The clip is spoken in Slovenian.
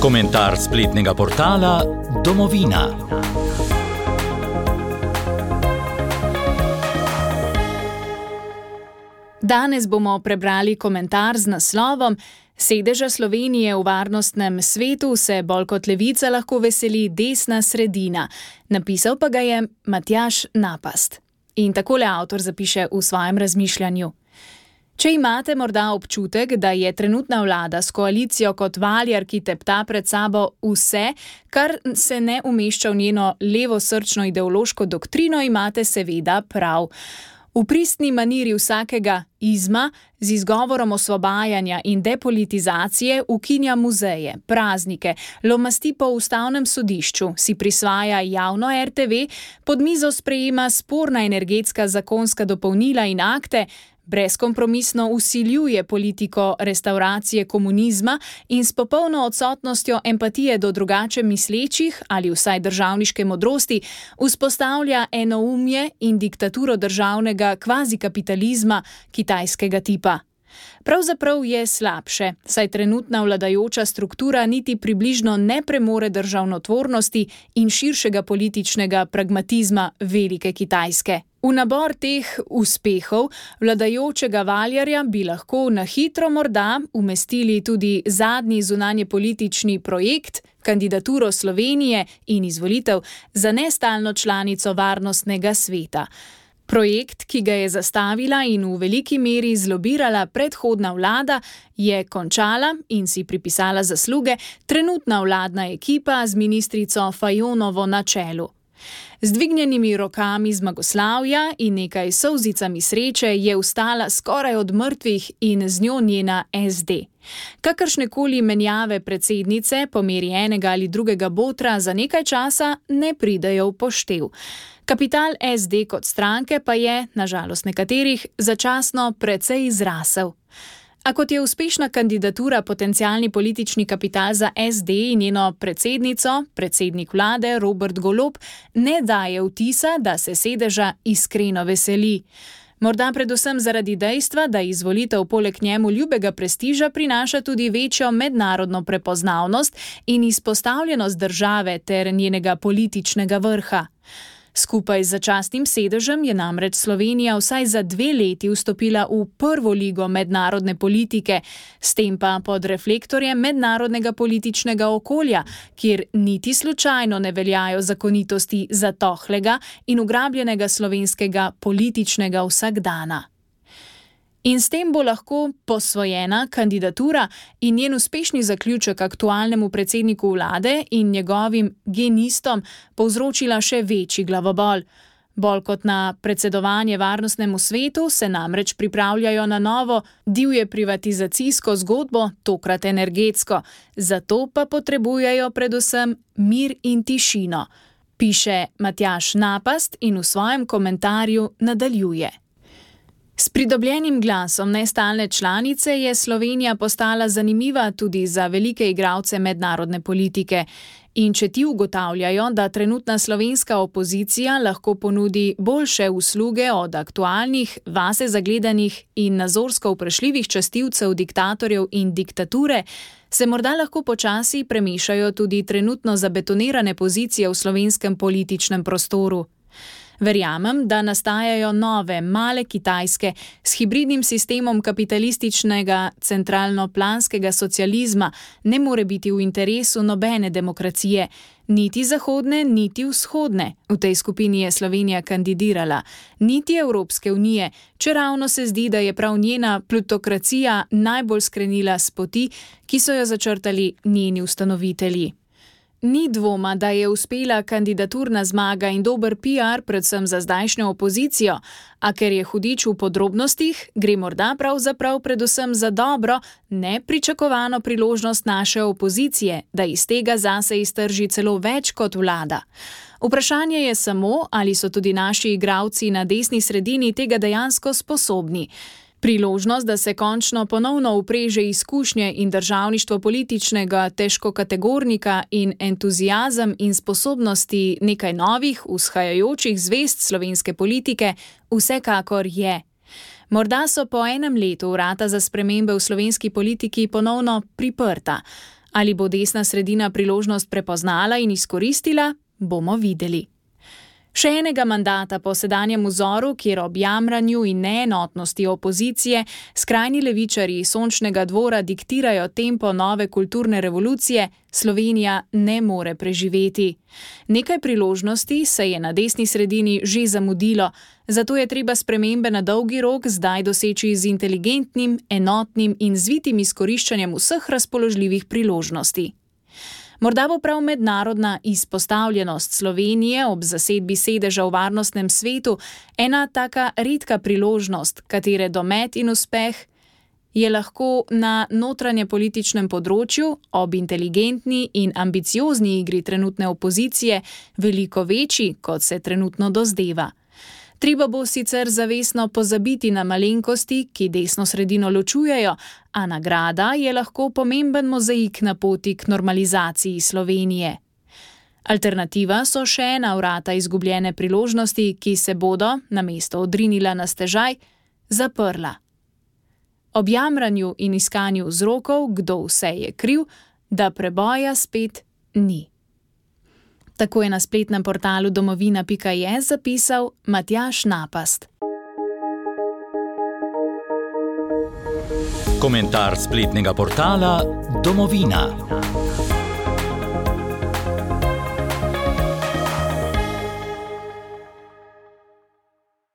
Komentar spletnega portala Domovina. Danes bomo prebrali komentar z naslovom Sedeža Slovenije v varnostnem svetu se bolj kot levica lahko veseli desna sredina. Napisal pa ga je Matjaž Napast. In takole avtor zapiše v svojem razmišljanju. Če imate morda občutek, da je trenutna vlada s koalicijo kot valjar, ki tepta pred sabo vse, kar se ne umešča v njeno levosrčno ideološko doktrino, imate seveda prav. V pristni maniri vsakega izma z izgovorom osvobajanja in depolitizacije ukinja muzeje, praznike, lomasti po ustavnem sodišču, si prisvaja javno RTV, pod mizo sprejema sporna energetska zakonska dopolnila in akte, brezkompromisno vsiljuje politiko restavracije komunizma in s popolno odsotnostjo empatije do drugače mislečih ali vsaj državniške modrosti vzpostavlja enoumje in diktaturo državnega kvazikapitalizma kitajskega tipa. Pravzaprav je slabše, saj trenutna vladajoča struktura niti približno ne premore državnotvornosti in širšega političnega pragmatizma velike Kitajske. V nabor teh uspehov vladajočega valjarja bi lahko na hitro morda umestili tudi zadnji zunanjepolitični projekt, kandidaturo Slovenije in izvolitev za nestalno članico varnostnega sveta. Projekt, ki ga je zastavila in v veliki meri zlobirala predhodna vlada, je končala in si pripisala zasluge trenutna vladna ekipa z ministrico Fajonovo na čelu. Z dvignjenimi rokami zmagoslavja in nekaj solzicami sreče je vstala skoraj od mrtvih in z njo njena SD. Kakršnekoli menjave predsednice po meri enega ali drugega botra za nekaj časa ne pridejo v poštev. Kapital SD kot stranke pa je, na žalost nekaterih, začasno precej zrasel. A kot je uspešna kandidatura potencialni politični kapital za SD in njeno predsednico, predsednik vlade Robert Golob, ne daje vtisa, da se sedeža iskreno veseli. Morda predvsem zaradi dejstva, da izvolitev poleg njemu ljubega prestiža prinaša tudi večjo mednarodno prepoznavnost in izpostavljenost države ter njenega političnega vrha. Skupaj z začasnim sedežem je namreč Slovenija vsaj za 2 leti vstopila v prvo ligo mednarodne politike, s tem pa pod reflektorjem mednarodnega političnega okolja, kjer niti slučajno ne veljajo zakonitosti zatohlega in ugrabljenega slovenskega političnega vsakdana. In s tem bo lahko posvojena kandidatura in njen uspešni zaključek aktualnemu predsedniku vlade in njegovim genistom povzročila še večji glavobol. Bolj kot na predsedovanje varnostnemu svetu se namreč pripravljajo na novo divje privatizacijsko zgodbo, tokrat energetsko. Zato pa potrebujejo predvsem mir in tišino, piše Matjaž Napast in v svojem komentarju nadaljuje. S pridobljenim glasom nestalne članice je Slovenija postala zanimiva tudi za velike igralce mednarodne politike. In če ti ugotavljajo, da trenutna slovenska opozicija lahko ponudi boljše usluge od aktualnih, vase zagledanih in nazorsko vprašljivih častilcev diktatorjev in diktature, se morda lahko počasi premešajo tudi trenutno zabetonirane pozicije v slovenskem političnem prostoru. Verjamem, da nastajajo nove, male Kitajske s hibridnim sistemom kapitalističnega centralno-planskega socializma ne more biti v interesu nobene demokracije, niti zahodne, niti vzhodne. V tej skupini je Slovenija kandidirala, niti Evropske unije, čeravno se zdi, da je prav njena plutokracija najbolj skrenila s poti, ki so jo začrtali njeni ustanovitelji. Ni dvoma, da je uspela kandidaturna zmaga in dober PR predvsem za zdajšnjo opozicijo, a ker je hudič v podrobnostih, gre morda pravzaprav predvsem za dobro, nepričakovano priložnost naše opozicije, da iz tega zase iztrži celo več kot vlada. Vprašanje je samo, ali so tudi naši igralci na desni sredini tega dejansko sposobni. Priložnost, da se končno ponovno upreže izkušnje in državništvo političnega težkokategornika in entuziazem in sposobnosti nekaj novih, vzhajajočih zvezd slovenske politike, vsekakor je. Morda so po enem letu vrata za spremembe v slovenski politiki ponovno priprta, Ali bo desna sredina priložnost prepoznala in izkoristila, bomo videli. Še enega mandata po sedanjem vzoru, kjer ob jamranju in neenotnosti opozicije skrajni levičarji Sončnega dvora diktirajo tempo nove kulturne revolucije, Slovenija ne more preživeti. Nekaj priložnosti se je na desni sredini že zamudilo, zato je treba spremembe na dolgi rok zdaj doseči z inteligentnim, enotnim in zvitim izkoriščanjem vseh razpoložljivih priložnosti. Morda bo prav mednarodna izpostavljenost Slovenije ob zasedbi sedeža v Varnostnem svetu ena taka redka priložnost, katere domet in uspeh je lahko na notranjepolitičnem področju ob inteligentni in ambiciozni igri trenutne opozicije veliko večji, kot se trenutno dozdeva. Treba bo sicer zavestno pozabiti na malenkosti, ki desno sredino ločujejo, a nagrada je lahko pomemben mozaik na poti k normalizaciji Slovenije. Alternativa so še ena vrata izgubljene priložnosti, ki se bodo, namesto odrinila na stežaj, zaprla. Ob jamranju in iskanju vzrokov, kdo vse je kriv, da preboja spet ni. Tako je na spletnem portalu domovina.je zapisal Matjaž Napast. Komentar spletnega portala Domovina.